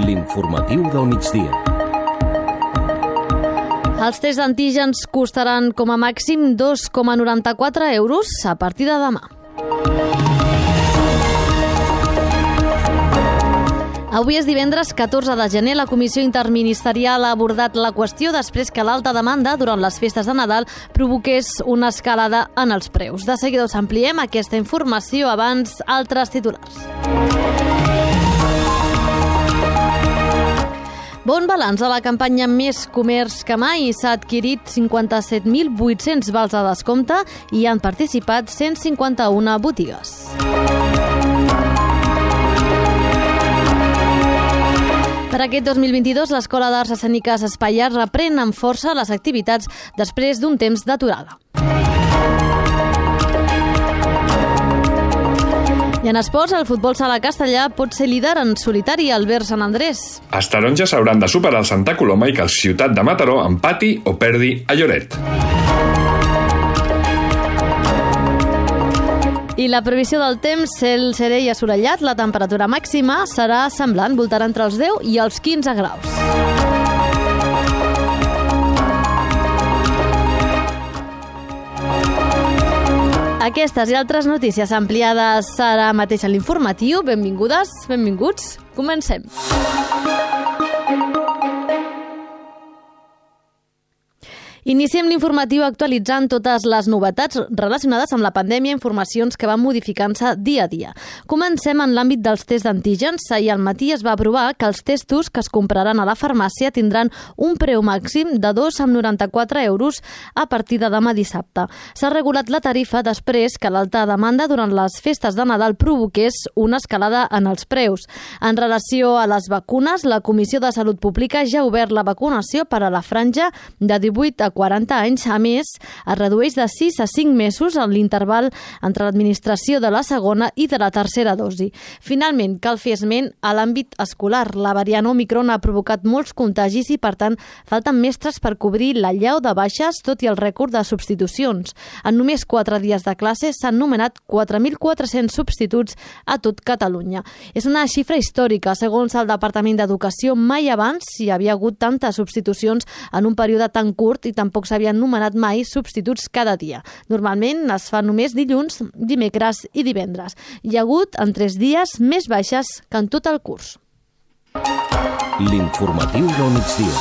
L'informatiu del migdia. Els tests d'antígens costaran com a màxim 2,94 euros a partir de demà. Avui és divendres 14 de gener. La Comissió Interministerial ha abordat la qüestió després que l'alta demanda durant les festes de Nadal provoqués una escalada en els preus. De seguida us ampliem aquesta informació, abans altres titulars. Bon balanç a la campanya Més Comerç que mai. S'ha adquirit 57.800 vals de descompte i han participat 151 botigues. Per aquest 2022, l'Escola d'Arts Escèniques Espaià reprèn amb força les activitats després d'un temps d'aturada. I en esports, el futbol sala castellà pot ser líder en solitari al Ver Sant Andrés. Els taronges hauran de superar el Santa Coloma i que el Ciutat de Mataró empati o perdi a Lloret. I la previsió del temps, cel serè i assolellat, la temperatura màxima serà semblant, voltarà entre els 10 i els 15 graus. Aquestes i altres notícies ampliades ara mateix a l'informatiu. Benvingudes, benvinguts. Comencem. Iniciem l'informatiu actualitzant totes les novetats relacionades amb la pandèmia, informacions que van modificant-se dia a dia. Comencem en l'àmbit dels tests d'antígens. Ahir al matí es va aprovar que els testos que es compraran a la farmàcia tindran un preu màxim de 2,94 euros a partir de demà dissabte. S'ha regulat la tarifa després que l'alta demanda durant les festes de Nadal provoqués una escalada en els preus. En relació a les vacunes, la Comissió de Salut Pública ja ha obert la vacunació per a la franja de 18 a 40 anys. A més, es redueix de 6 a 5 mesos en l'interval entre l'administració de la segona i de la tercera dosi. Finalment, cal fer esment a l'àmbit escolar. La variant Omicron ha provocat molts contagis i, per tant, falten mestres per cobrir la llau de baixes, tot i el rècord de substitucions. En només 4 dies de classe s'han nomenat 4.400 substituts a tot Catalunya. És una xifra històrica. Segons el Departament d'Educació, mai abans hi havia hagut tantes substitucions en un període tan curt i tampoc s'havien nomenat mai substituts cada dia. Normalment es fa només dilluns, dimecres i divendres. Hi ha hagut en 3 dies més baixes que en tot el curs. L'informatiu del migdia.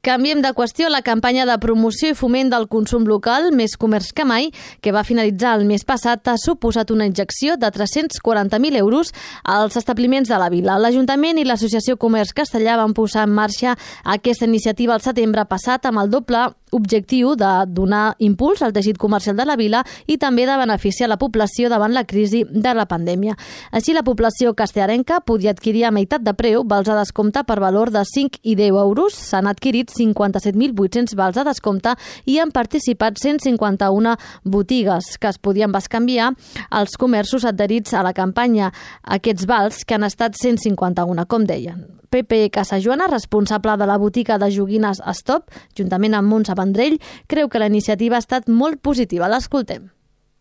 Canviem de qüestió. La campanya de promoció i foment del consum local, Més Comerç que mai, que va finalitzar el mes passat, ha suposat una injecció de 340.000 euros als establiments de la vila. L'Ajuntament i l'Associació Comerç Castellà van posar en marxa aquesta iniciativa al setembre passat amb el doble objectiu de donar impuls al teixit comercial de la vila i també de beneficiar la població davant la crisi de la pandèmia. Així, la població castellarenca podia adquirir a meitat de preu vals de descompte per valor de 5 i 10 euros. S'han adquirit 57.800 vals de descompte i han participat 151 botigues que es podien bescanviar als comerços adherits a la campanya. Aquests vals, que han estat 151, com deien. Pepe Casajoana, responsable de la botiga de joguines Stop, juntament amb Montse Vendrell, creu que la iniciativa ha estat molt positiva. L'escoltem.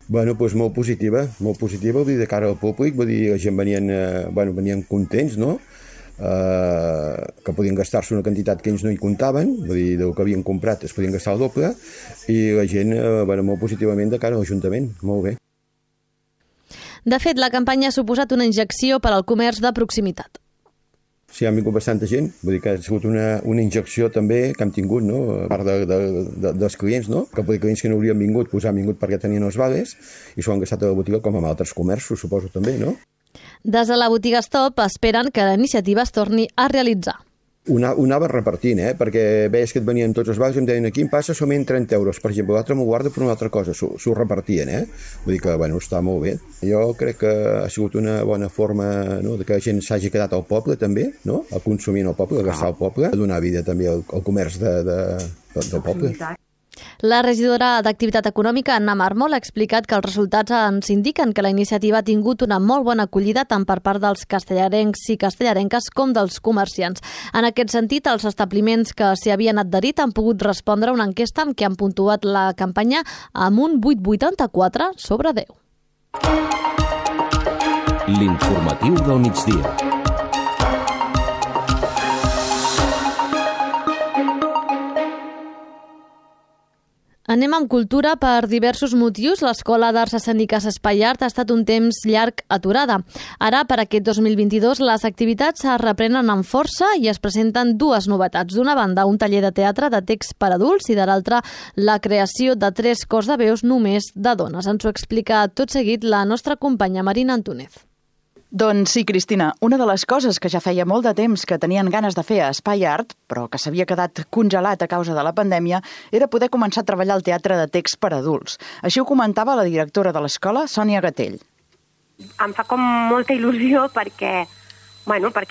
Bueno, doncs molt positiva, vull dir, de cara al públic, vull dir, la gent venien contents, no? Que podien gastar-se una quantitat que ells no hi comptaven, vull dir, del que havien comprat es podien gastar el doble, i la gent, molt positivament de cara a l'Ajuntament, molt bé. De fet, la campanya ha suposat una injecció per al comerç de proximitat. Sí, ha vingut bastanta gent, vull dir que ha sigut una injecció també que hem tingut, no? A part dels clients, no? Que clients que no haurien vingut, doncs han vingut perquè tenien els vales i s'ho han gastat a la botiga com amb altres comerços, suposo també, no? Des de la botiga Stop esperen que la iniciativa es torni a realitzar. Ho anava repartint, perquè veies que et venien tots els vals i em deien aquí em passa solament 30 euros, per exemple, l'altre m'ho guarda per una altra cosa, s'ho repartien, Vull dir que, està molt bé. Jo crec que ha sigut una bona forma, no?, de que la gent s'hagi quedat al poble també, no?, a consumir en el poble, a gastar al poble, a donar vida també al comerç del poble. La regidora d'Activitat Econòmica, Anna Mármol, ha explicat que els resultats ens indiquen que la iniciativa ha tingut una molt bona acollida tant per part dels castellarencs i castellarenques com dels comerciants. En aquest sentit, els establiments que s'hi havien adherit han pogut respondre a una enquesta amb què han puntuat la campanya amb un 8,84 sobre 10. L'informatiu del migdia. Anem amb cultura. Per diversos motius, l'Escola d'Arts Escèniques Espai Art ha estat un temps llarg aturada. Ara, per aquest 2022, les activitats es reprenen amb força i es presenten dues novetats. D'una banda, un taller de teatre de text per adults i de l'altra, la creació de 3 cors de veus només de dones. Ens ho explica tot seguit la nostra companya Marina Antúnez. Doncs sí, Cristina, una de les coses que ja feia molt de temps que tenien ganes de fer a Espai Art, però que s'havia quedat congelat a causa de la pandèmia, era poder començar a treballar el teatre de text per adults. Així ho comentava la directora de l'escola, Sònia Gatell. Em fa com molta il·lusió perquè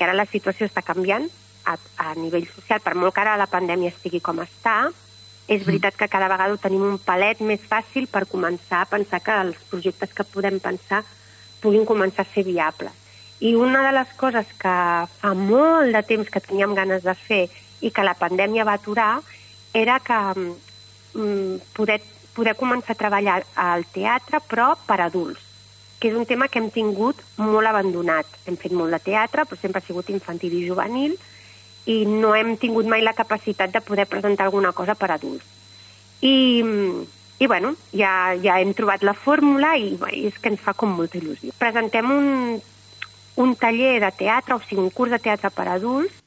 ara la situació està canviant a nivell social, per molt que ara la pandèmia estigui com està. És veritat que cada vegada ho tenim un palet més fàcil per començar a pensar que els projectes que podem pensar puguin començar a ser viables. I una de les coses que fa molt de temps que teníem ganes de fer i que la pandèmia va aturar era que poder començar a treballar al teatre, però per adults, que és un tema que hem tingut molt abandonat. Hem fet molt de teatre, però sempre ha sigut infantil i juvenil, i no hem tingut mai la capacitat de poder presentar alguna cosa per adults. I bueno, ja hem trobat la fórmula i és que ens fa com molta il·lusió. Presentem un taller de teatre, o sigui, un curs de teatre per adults.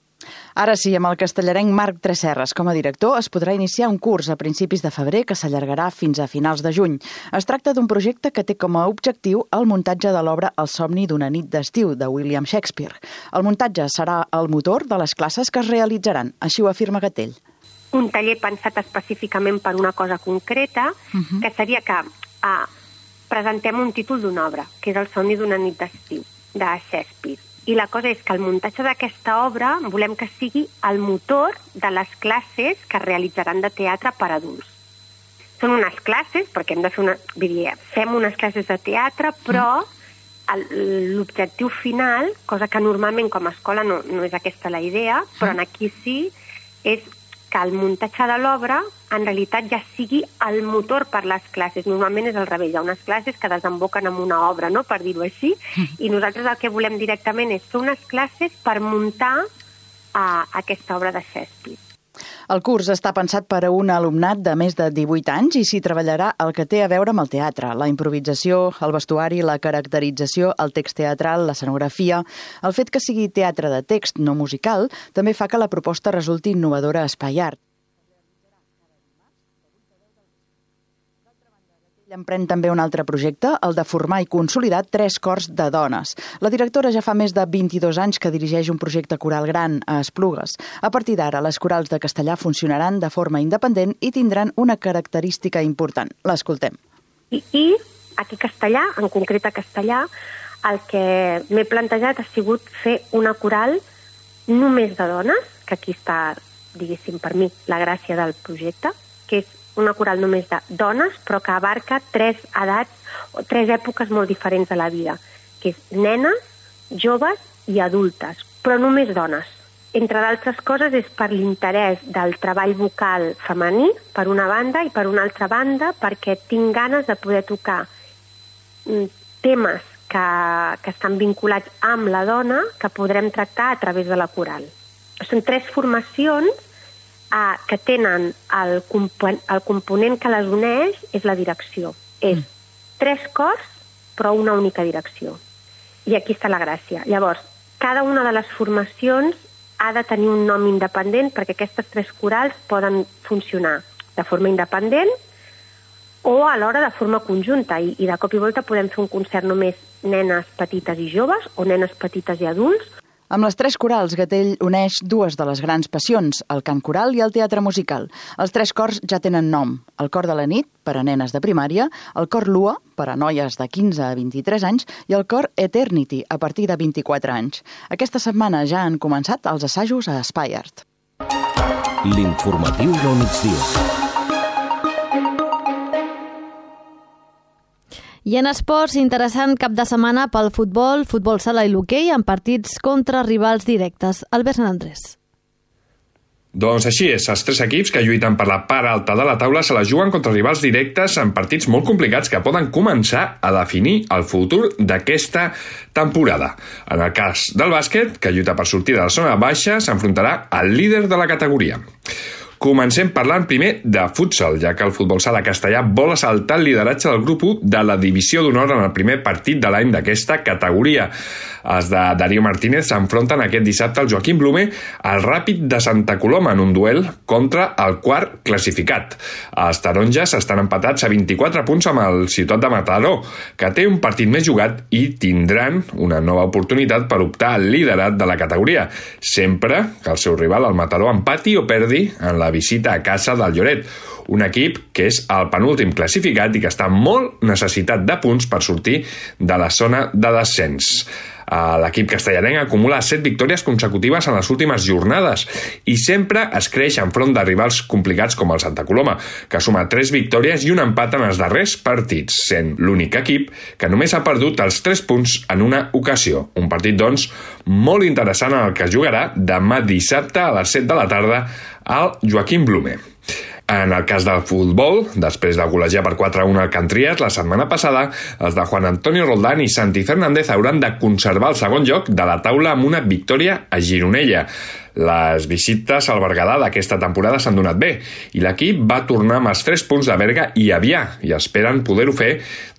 Ara sí, amb el castellarenc Marc Tresserras com a director, es podrà iniciar un curs a principis de febrer que s'allargarà fins a finals de juny. Es tracta d'un projecte que té com a objectiu el muntatge de l'obra El somni d'una nit d'estiu, de William Shakespeare. El muntatge serà el motor de les classes que es realitzaran, així ho afirma Gatell. Un taller pensat específicament per una cosa concreta, que seria que presentem un títol d'una obra, que és El somni d'una nit d'estiu, de Shakespeare. I la cosa és que el muntatge d'aquesta obra volem que sigui el motor de les classes que es realitzaran de teatre per adults. Són unes classes, perquè hem de fer fem unes classes de teatre, però l'objectiu final, cosa que normalment com a escola no és aquesta la idea, però aquí sí, és que el muntatge de l'obra en realitat ja sigui el motor per les classes. Normalment és al revés, hi ha unes classes que desemboquen en una obra, no?, per dir-ho així, i nosaltres el que volem directament és fer unes classes per muntar aquesta obra de Shakespeare. El curs està pensat per a un alumnat de més de 18 anys i s'hi treballarà el que té a veure amb el teatre, la improvisació, el vestuari, la caracterització, el text teatral, l'escenografia. El fet que sigui teatre de text no musical també fa que la proposta resulti innovadora a Espai Art. Emprèn també un altre projecte, el de formar i consolidar 3 cors de dones. La directora ja fa més de 22 anys que dirigeix un projecte coral gran a Esplugues. A partir d'ara, les corals de castellà funcionaran de forma independent i tindran una característica important. L'escoltem. I aquí castellà, en concret a castellà, el que m'he plantejat ha sigut fer una coral només de dones, que aquí està, diguéssim, per mi, la gràcia del projecte, que és una coral només de dones, però que abarca 3 edats o 3 èpoques molt diferents de la vida, que és nenes, joves i adultes, però només dones. Entre d'altres coses és per l'interès del treball vocal femení, per una banda, i per una altra banda perquè tinc ganes de poder tocar temes que estan vinculats amb la dona que podrem tractar a través de la coral. Són 3 formacions que tenen el component que les uneix és la direcció. És 3 cors, però una única direcció. I aquí està la gràcia. Llavors, cada una de les formacions ha de tenir un nom independent perquè aquestes 3 corals poden funcionar de forma independent o alhora de forma conjunta. I de cop i volta podem fer un concert només nenes petites i joves o nenes petites i adults. Amb les 3 corals, Gatell uneix 2 de les grans passions, el cant coral i el teatre musical. Els 3 cors ja tenen nom. El cor de la nit, per a nenes de primària, el cor Lua, per a noies de 15 a 23 anys, i el cor Eternity, a partir de 24 anys. Aquesta setmana ja han començat els assajos a Espai Art. L'informatiu del migdia. I en esports, interessant cap de setmana pel futbol sala i l'hoquei amb partits contra rivals directes. Albert Sant Andrés. Doncs així és, els 3 equips que lluiten per la part alta de la taula se la juguen contra rivals directes en partits molt complicats que poden començar a definir el futur d'aquesta temporada. En el cas del bàsquet, que lluita per sortir de la zona baixa, s'enfrontarà al líder de la categoria. Comencem parlant primer de futsal, ja que el futbol sala castellà vol assaltar el lideratge del grup 1 de la divisió d'honor en el primer partit de l'any d'aquesta categoria. Els de Darío Martínez s'enfronten aquest dissabte al Joaquim Blume al Ràpid de Santa Coloma en un duel contra el quart classificat. Els taronges estan empatats a 24 punts amb el Ciutat de Mataró, que té un partit més jugat i tindran una nova oportunitat per optar al liderat de la categoria, sempre que el seu rival, el Mataró, empati o perdi en la visita a casa del Lloret, un equip que és el penúltim classificat i que està molt necessitat de punts per sortir de la zona de descens. L'equip castellanenc acumula 7 victòries consecutives en les últimes jornades i sempre es creix enfront de rivals complicats com el Santa Coloma, que suma 3 victòries i un empat en els darrers partits, sent l'únic equip que només ha perdut els 3 punts en una ocasió. Un partit, doncs, molt interessant en el que es jugarà demà dissabte a les 7 de la tarda al Joaquim Blume. En el cas del futbol, després de golejar per 4-1 al Can Trias, la setmana passada, els de Juan Antonio Roldán i Santi Fernández hauran de conservar el segon lloc de la taula amb una victòria a Gironella. Les visites al Berguedà d'aquesta temporada s'han donat bé i l'equip va tornar amb els 3 punts de Berga i Avià i esperen poder-ho fer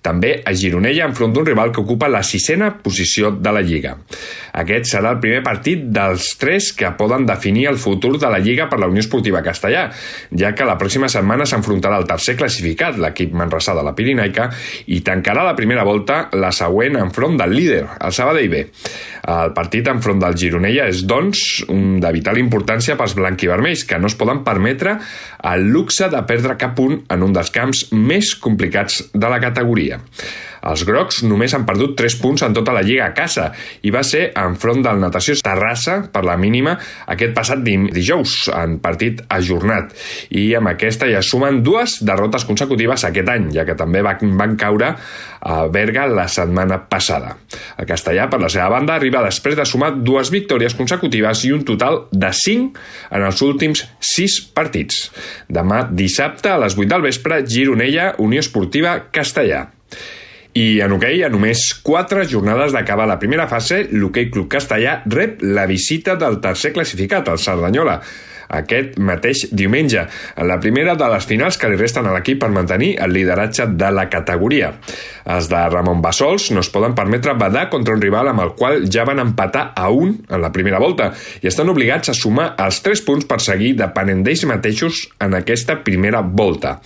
també a Gironella enfront d'un rival que ocupa la 6a posició de la Lliga. Aquest serà el primer partit dels 3 que poden definir el futur de la Lliga per la Unió Esportiva Castellà, ja que la pròxima setmana s'enfrontarà el tercer classificat, l'equip manresà de la Pirinaica, i tancarà la primera volta la següent enfront del líder, el Sabadell B. El partit enfront del Gironella és, doncs, un de vital importància pels blanquivermells, que no es poden permetre el luxe de perdre cap punt en un dels camps més complicats de la categoria. Els grocs només han perdut 3 punts en tota la Lliga a casa i va ser enfront del Natació Terrassa per la mínima aquest passat dijous en partit ajornat i amb aquesta ja sumen 2 derrotes consecutives aquest any, ja que també van caure a Berga la setmana passada. El castellà, per la seva banda, arriba després de sumar 2 victòries consecutives i un total de 5 en els últims 6 partits. Demà dissabte a les 8 del vespre, Gironella, Unió Esportiva Castellà. I en hoquei, a només 4 jornades d'acabar la primera fase, l'Hoquei Club Castellà rep la visita del tercer classificat, el Cerdanyola, aquest mateix diumenge, en la primera de les finals que li resten a l'equip per mantenir el lideratge de la categoria. Els de Ramon Bassols no es poden permetre badar contra un rival amb el qual ja van empatar a 1 en la primera volta i estan obligats a sumar els 3 punts per seguir depenent d'ells mateixos en aquesta primera volta.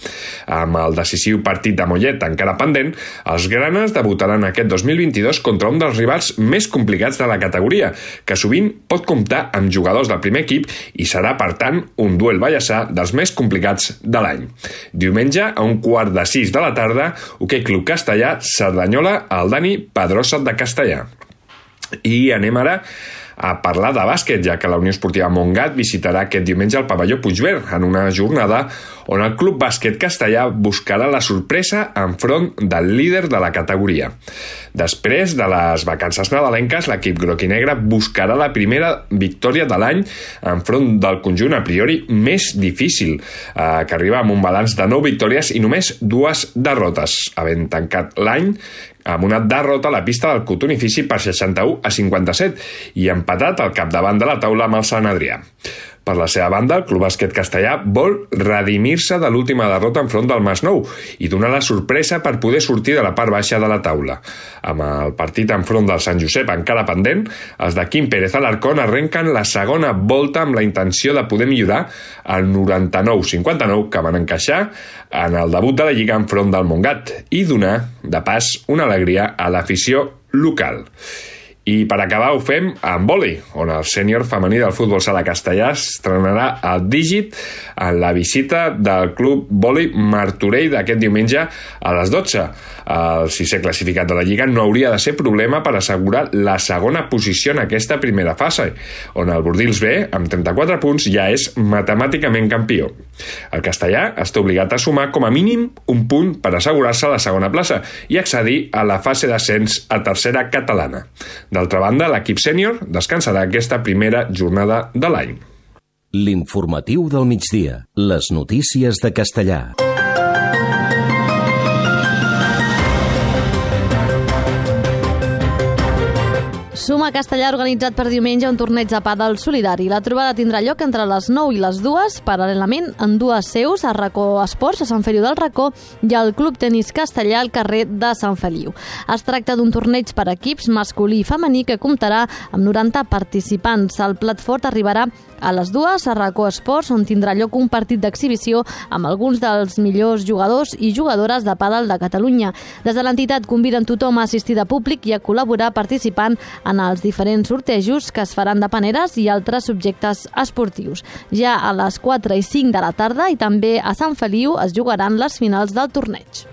Amb el decisiu partit de Mollet encara pendent, els granes debutaran aquest 2022 contra un dels rivals més complicats de la categoria, que sovint pot comptar amb jugadors del primer equip i serà, per tant, un duel ballassà dels més complicats de l'any. Diumenge, a 5:15 de la tarda, Hoquei Club Castellà, Cerdanyola, al Dani Pedrosa de Castellà. I anem ara a parlar de bàsquet, ja que la Unió Esportiva Montgat visitarà aquest diumenge el pavelló Puigverd en una jornada on el Club Bàsquet Castellà buscarà la sorpresa enfront del líder de la categoria. Després de les vacances nadalenques, l'equip groc i negre buscarà la primera victòria de l'any enfront del conjunt a priori més difícil, que arriba amb un balanç de 9 victòries i només 2 derrotes, havent tancat l'any amb una derrota a la pista del Cotonifici per 61-57 i empatat al capdavant de la taula amb el Sant Adrià. Per la seva banda, el Club Bàsquet Castellà vol redimir-se de l'última derrota enfront del Masnou i donar la sorpresa per poder sortir de la part baixa de la taula. Amb el partit enfront del Sant Josep encara pendent, els de Quim Pérez Alarcón arrenquen la segona volta amb la intenció de poder millorar el 99-59 que van encaixar en el debut de la Lliga enfront del Montgat i donar, de pas, una alegria a l'afició local. I per acabar ho fem amb vòlei, on el sènior femení del futbol sala castellà estrenarà el dígit en la visita del club vòlei Martorell d'aquest diumenge a les 12. El 6è classificat de la Lliga no hauria de ser problema per assegurar la segona posició en aquesta primera fase, on el Bordils B, amb 34 punts, ja és matemàticament campió. El castellà està obligat a sumar com a mínim un punt per assegurar-se la segona plaça i accedir a la fase d'ascens a tercera catalana. D'altra banda, l'equip sènior descansarà aquesta primera jornada de l'any. L'informatiu del migdia. Les notícies de Castellà. Suma Castellà ha organitzat per diumenge un torneig de pàdel solidari. La trobada tindrà lloc entre les 9 i les 2, paral·lelament en dues seus, a Racó Esports, a Sant Feliu del Racó, i al Club Tenis Castellà, al carrer de Sant Feliu. Es tracta d'un torneig per equips masculí i femení que comptarà amb 90 participants. El plat fort arribarà a les 2 a Racó Esports, on tindrà lloc un partit d'exhibició amb alguns dels millors jugadors i jugadores de pàdel de Catalunya. Des de l'entitat conviden tothom a assistir de públic i a col·laborar participant en els diferents sortejos que es faran de paneres i altres subjectes esportius. Ja a les 4 i 5 de la tarda i també a Sant Feliu es jugaran les finals del torneig.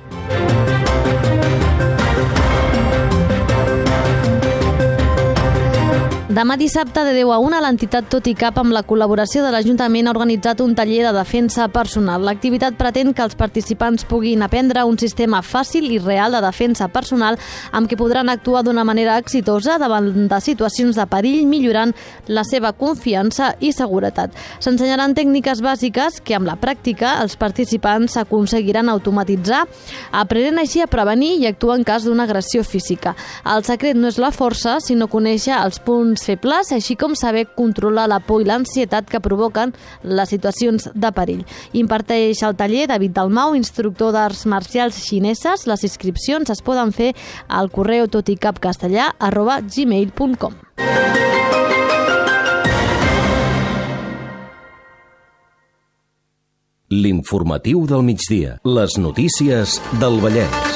Demà dissabte de 10 a 1 l'entitat Tot i Cap amb la col·laboració de l'Ajuntament ha organitzat un taller de defensa personal. L'activitat pretén que els participants puguin aprendre un sistema fàcil i real de defensa personal amb què podran actuar d'una manera exitosa davant de situacions de perill, millorant la seva confiança i seguretat. S'ensenyaran tècniques bàsiques que amb la pràctica els participants aconseguiran automatitzar, aprenent així a prevenir i actuar en cas d'una agressió física. El secret no és la força, sinó conèixer els punts febles, així com saber controlar la por i l'ansietat que provoquen les situacions de perill. Imparteix el taller David Dalmau, instructor d'arts marcials xineses. Les inscripcions es poden fer al correu toticapcastellà@gmail.com. L'informatiu del migdia. Les notícies del Vallès.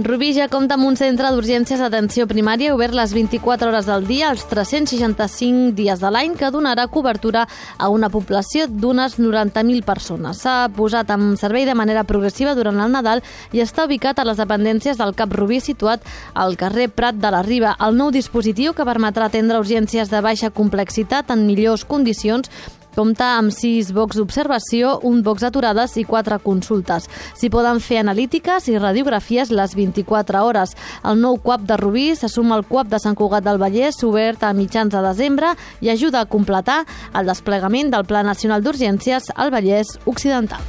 Rubí ja compta amb un centre d'urgències d'atenció primària obert les 24 hores del dia, els 365 dies de l'any, que donarà cobertura a una població d'unes 90.000 persones. S'ha posat en servei de manera progressiva durant el Nadal i està ubicat a les dependències del CAP Rubí, situat al carrer Prat de la Riba. El nou dispositiu, que permetrà atendre urgències de baixa complexitat en millors condicions, compta amb 6 bocs d'observació, un box d'aturades i 4 consultes. S'hi poden fer analítiques i radiografies les 24 hores. El nou CUAP de Rubí se suma al CUAP de Sant Cugat del Vallès, obert a mitjans de desembre, i ajuda a completar el desplegament del Pla Nacional d'Urgències al Vallès Occidental.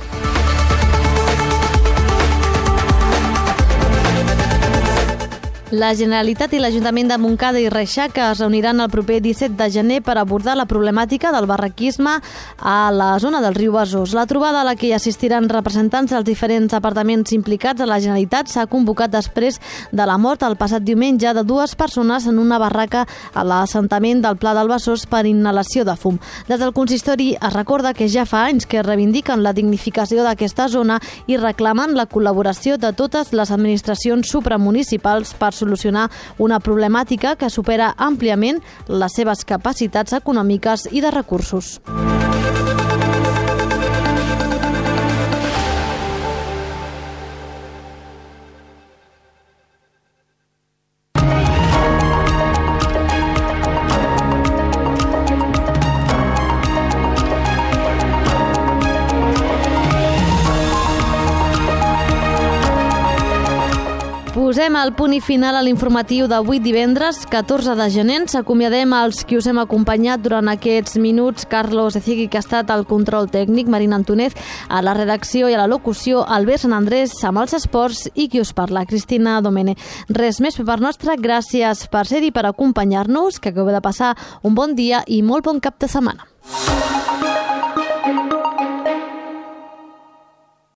La Generalitat i l'Ajuntament de Montcada i Reixaca es reuniran el proper 17 de gener per abordar la problemàtica del barraquisme a la zona del riu Besòs. La trobada a la que hi assistiran representants dels diferents departaments implicats a la Generalitat s'ha convocat després de la mort el passat diumenge de 2 persones en una barraca a l'assentament del Pla del Besòs per inhalació de fum. Des del consistori es recorda que ja fa anys que reivindiquen la dignificació d'aquesta zona i reclamen la col·laboració de totes les administracions supramunicipals per solucionar una problemàtica que supera àmpliament les seves capacitats econòmiques i de recursos. Posem el punt i final a l'informatiu d'avui divendres, 14 de gener. Ens acomiadem als qui us hem acompanyat durant aquests minuts. Carlos Ecigui, que ha estat al control tècnic, Marina Antonez, a la redacció i a la locució, Albert Sant Andrés amb els esports i qui us parla, Cristina Domene. Res més per part nostra, gràcies per ser-hi, per acompanyar-nos, que acabeu de passar un bon dia i molt bon cap de setmana.